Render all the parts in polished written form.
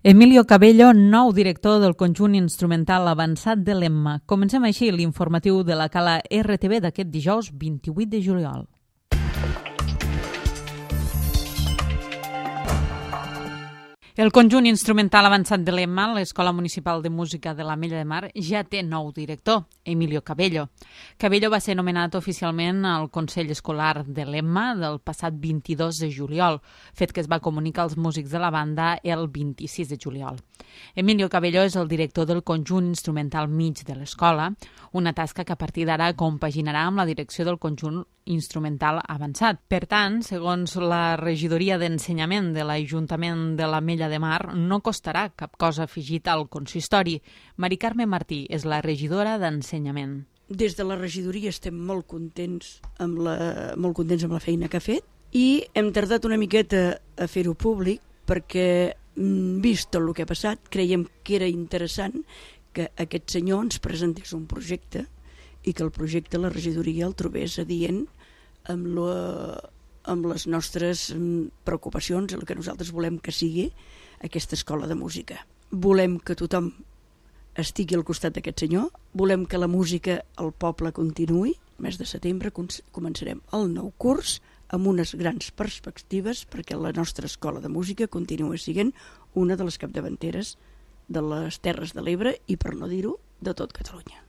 Emilio Cabello, nou director del conjunt instrumental avançat de l'Emma. Comencem així l'informatiu de la Cala RTV d'aquest dijous 28 de juliol. El conjunt instrumental avançat de l'Emma, l'Escola Municipal de Música de l'Ametlla de Mar, ja té nou director, Emilio Cabello. Cabello va ser nomenat oficialment al Consell Escolar de l'Emma del passat 22 de juliol, fet que es va comunicar als músics de la banda el 26 de juliol. Emilio Cabello és el director del conjunt instrumental mig de l'escola, una tasca que a partir d'ara compaginarà amb la direcció del conjunt instrumental avançat. Per tant, segons la regidoria d'ensenyament de l'Ajuntament de l'Ametlla de Mar, no costarà cap cosa afegit al consistori. Mari Carme Martí és la regidora d'ensenyament. Des de la regidoria estem molt contents amb la feina que ha fet i hem tardat una miqueta a fer-ho públic perquè, vist tot el que ha passat, creiem que era interessant que aquest senyor ens presentés un projecte i que el projecte la regidoria el trobés adient amb les nostres preocupacions, el que nosaltres volem que sigui aquesta escola de música. Volem que tothom estigui al costat d'aquest senyor, volem que la música al poble continuï. El mes de setembre començarem el nou curs amb unes grans perspectives perquè la nostra escola de música continua sent una de les capdavanteres de les Terres de l'Ebre i, per no dir-ho, de tot Catalunya.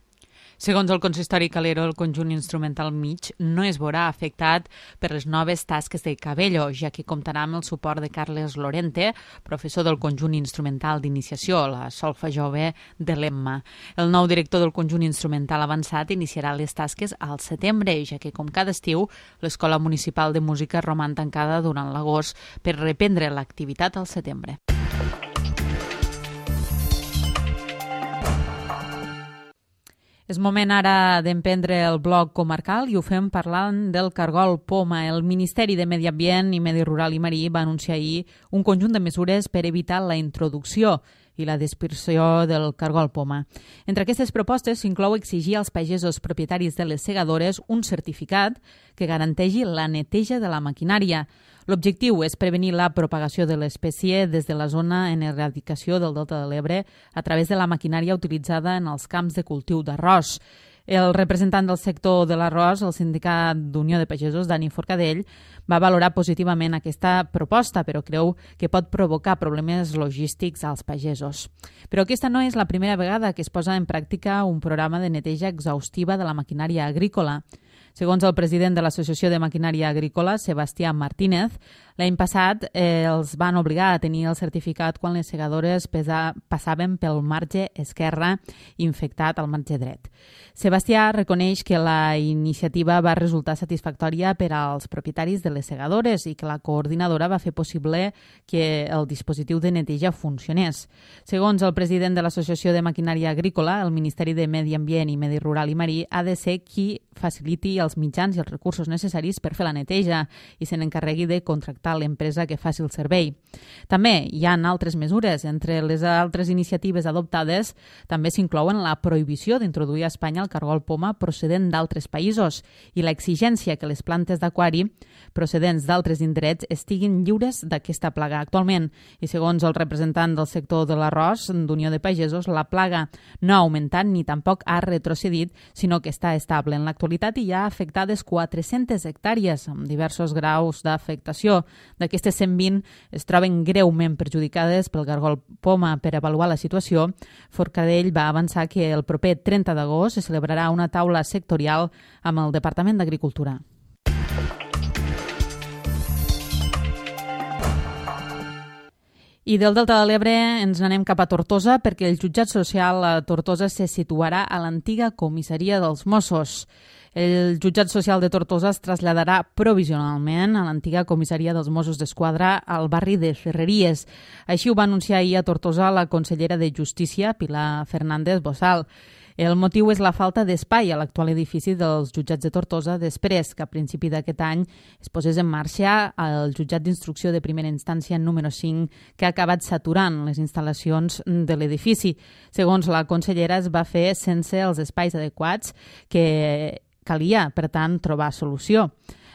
Segons el consistori Calero, el conjunt instrumental mig no es veurà afectat per les noves tasques de Cabello, ja que comptarà amb el suport de Carles Lorente, professor del conjunt instrumental d'iniciació, la solfa jove de l'Emma. El nou director del conjunt instrumental avançat iniciarà les tasques al setembre, ja que, com cada estiu, l'Escola Municipal de Música roman tancada durant l'agost per reprendre l'activitat al setembre. És moment ara d'emprendre el bloc comarcal i ho fem parlant del cargol poma. El Ministeri de Medi Ambient i Medi Rural i Marí va anunciar ahir un conjunt de mesures per evitar la introducció i la dispersió del cargol poma. Entre aquestes propostes s'inclou exigir als pagesos propietaris de les segadores un certificat que garanteixi la neteja de la maquinària. L'objectiu és prevenir la propagació de l'espècie des de la zona en erradicació del Delta de l'Ebre a través de la maquinària utilitzada en els camps de cultiu d'arròs. El representant del sector de l'arròs, el Sindicat d'Unió de Pagesos, Dani Forcadell, va valorar positivament aquesta proposta, però creu que pot provocar problemes logístics als pagesos. Però aquesta no és la primera vegada que es posa en pràctica un programa de neteja exhaustiva de la maquinària agrícola. Segons el president de l'Associació de Maquinària Agrícola, Sebastià Martínez, l'any passat els van obligar a tenir el certificat quan les segadores passaven pel marge esquerre infectat al marge dret. Sebastià reconeix que la iniciativa va resultar satisfactòria per als propietaris de les segadores i que la coordinadora va fer possible que el dispositiu de neteja funcionés. Segons el president de l'Associació de Maquinària Agrícola, el Ministeri de Medi Ambient i Medi Rural i Marí ha de ser qui faciliti els mitjans i els recursos necessaris per fer la neteja i se n'encarregui de contractar l'empresa que faci el servei. També hi ha altres mesures. Entre les altres iniciatives adoptades també s'inclouen la prohibició d'introduir a Espanya el cargol poma procedent d'altres països i l'exigència que les plantes d'aquari procedents d'altres indrets estiguin lliures d'aquesta plaga actualment. I segons el representant del sector de l'arròs d'Unió de Pagesos, la plaga no ha augmentat ni tampoc ha retrocedit, sinó que està estable. En l'actualitat hi ha afectades 400 hectàrees amb diversos graus d'afectació. D'aquestes 120 es troben greument perjudicades pel cargol poma. Per avaluar la situació, Forcadell va avançar que el proper 30 d'agost se celebrarà una taula sectorial amb el Departament d'Agricultura. I del Delta de l'Ebre ens n'anem cap a Tortosa perquè el jutjat social a Tortosa se situarà a l'antiga comissaria dels Mossos. El jutjat social de Tortosa es traslladarà provisionalment a l'antiga comissaria dels Mossos d'Esquadra al barri de Ferreries. Així ho va anunciar ahir a Tortosa la consellera de Justícia, Pilar Fernández Bossal. El motiu és la falta d'espai a l'actual edifici dels jutjats de Tortosa després que a principi d'aquest any es posés en marxa el jutjat d'instrucció de primera instància número 5 que ha acabat saturant les instal·lacions de l'edifici. Segons la consellera, es va fer sense els espais adequats que calia, per tant, trobar solució.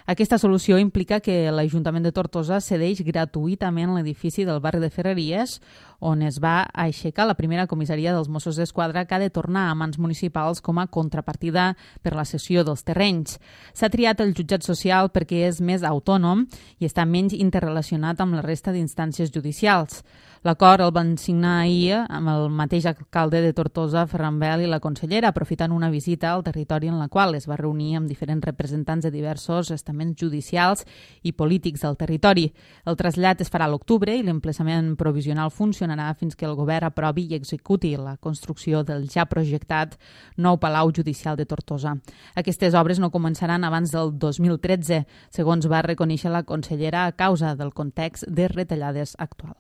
Aquesta solució implica que l'Ajuntament de Tortosa cedeix gratuïtament l'edifici del barri de Ferreries, on es va aixecar la primera comissaria dels Mossos d'Esquadra, que ha de tornar a mans municipals com a contrapartida per la cessió dels terrenys. S'ha triat el jutjat social perquè és més autònom i està menys interrelacionat amb la resta d'instàncies judicials. L'acord el van signar ahir amb el mateix alcalde de Tortosa, Ferran Bel, i la consellera, aprofitant una visita al territori en la qual es va reunir amb diferents representants de diversos estaments judicials i polítics del territori. El trasllat es farà a l'octubre i l'emplaçament provisional funcionarà fins que el govern aprovi i executi la construcció del ja projectat nou Palau Judicial de Tortosa. Aquestes obres no començaran abans del 2013, segons va reconèixer la consellera, a causa del context de retallades actual.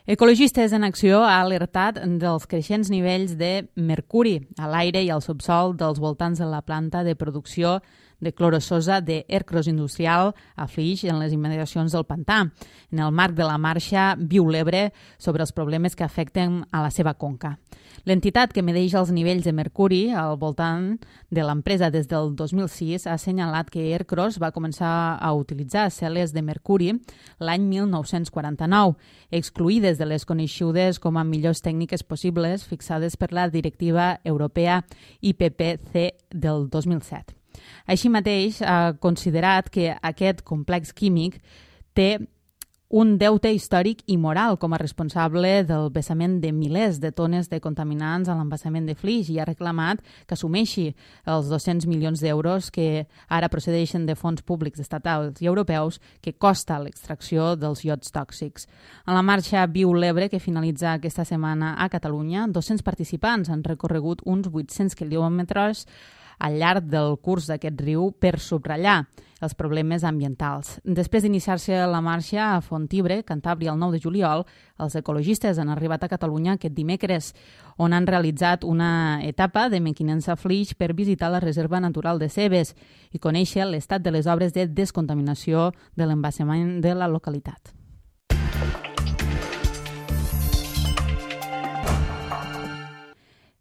Ecologistes en Acció ha alertat dels creixents nivells de mercuri a l'aire i al subsol dels voltants de la planta de producció de clorososa d'Ercros Industrial a Flix, en les immediacions del pantà, en el marc de la marxa Viu l'Ebre sobre els problemes que afecten a la seva conca. L'entitat que medeix els nivells de mercuri al voltant de l'empresa des del 2006 ha assenyalat que Ercros va començar a utilitzar cel·les de mercuri l'any 1949, excluïdes de les coneixudes com a millors tècniques possibles fixades per la directiva europea IPPC del 2007. Així mateix, ha considerat que aquest complex químic té un deute històric i moral com a responsable del vessament de milers de tones de contaminants a l'embassament de Flix i ha reclamat que assumeixi els 200 milions d'euros que ara procedeixen de fons públics estatals i europeus que costa l'extracció dels iots tòxics. En la marxa Viu l'Ebre, que finalitza aquesta setmana a Catalunya, 200 participants han recorregut uns 800 quilòmetres al llarg del curs d'aquest riu per subratllar els problemes ambientals. Després d'iniciar-se la marxa a Fontibre, Cantàbria, el 9 de juliol, els ecologistes han arribat a Catalunya aquest dimecres, on han realitzat una etapa de mequinença Flix per visitar la Reserva Natural de Cebes i conèixer l'estat de les obres de descontaminació de l'embassament de la localitat.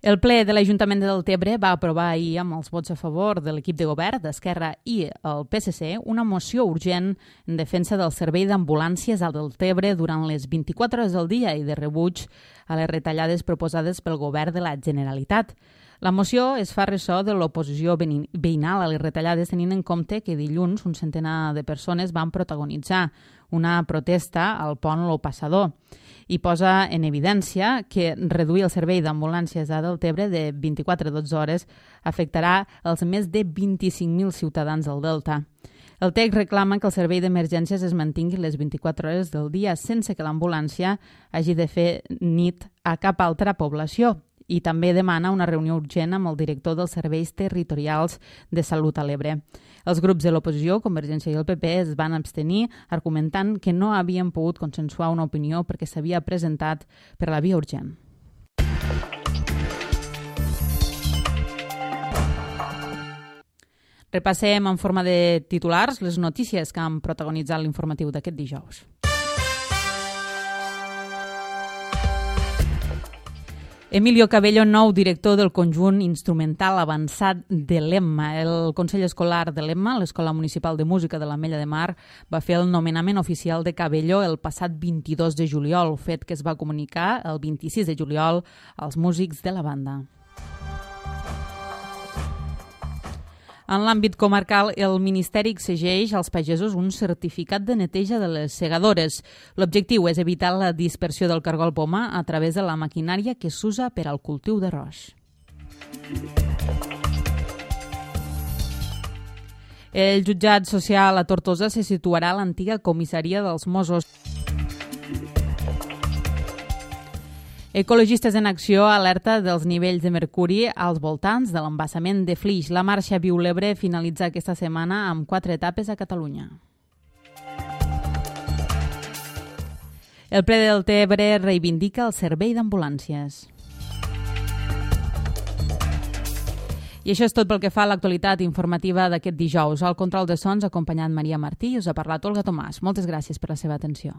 El ple de l'Ajuntament de Deltebre va aprovar ahir, amb els vots a favor de l'equip de govern, d'Esquerra i el PSC, una moció urgent en defensa del servei d'ambulàncies al Deltebre durant les 24 hores del dia i de rebuig a les retallades proposades pel govern de la Generalitat. La moció es fa ressò de l'oposició veïnal a les retallades, tenint en compte que dilluns un centenar de persones van protagonitzar una protesta al pont Lo Passador i posa en evidència que reduir el servei d'ambulàncies a Deltebre de 24 a 12 hores afectarà els més de 25.000 ciutadans del Delta. El text reclama que el servei d'emergències es mantingui les 24 hores del dia sense que l'ambulància hagi de fer nit a cap altra població i també demana una reunió urgent amb el director dels serveis territorials de salut a l'Ebre. Els grups de l'oposició, Convergència i el PP, es van abstenir argumentant que no havien pogut consensuar una opinió perquè s'havia presentat per la via urgent. Repassem en forma de titulars les notícies que han protagonitzat l'informatiu d'aquest dijous. Emilio Cabello, nou director del conjunt instrumental avançat de l'Emma. El Consell Escolar de l'Emma, l'Escola Municipal de Música de l'Ametlla de Mar, va fer el nomenament oficial de Cabello el passat 22 de juliol, fet que es va comunicar el 26 de juliol als músics de la banda. En l'àmbit comarcal, el Ministeri exigeix als pagesos un certificat de neteja de les segadores. L'objectiu és evitar la dispersió del cargol poma a través de la maquinària que s'usa per al cultiu d'arròs. El jutjat social a Tortosa se situarà a l'antiga comissaria dels Mossos. Ecologistes en Acció alerta dels nivells de mercuri als voltants de l'embassament de Flix. La marxa Viu l'Ebre finalitza aquesta setmana amb 4 etapes a Catalunya. El ple del Deltebre reivindica el servei d'ambulàncies. I això és tot pel que fa a l'actualitat informativa d'aquest dijous. Al control de sons ha acompanyat Maria Martí i us ha parlat Olga Tomàs. Moltes gràcies per la seva atenció.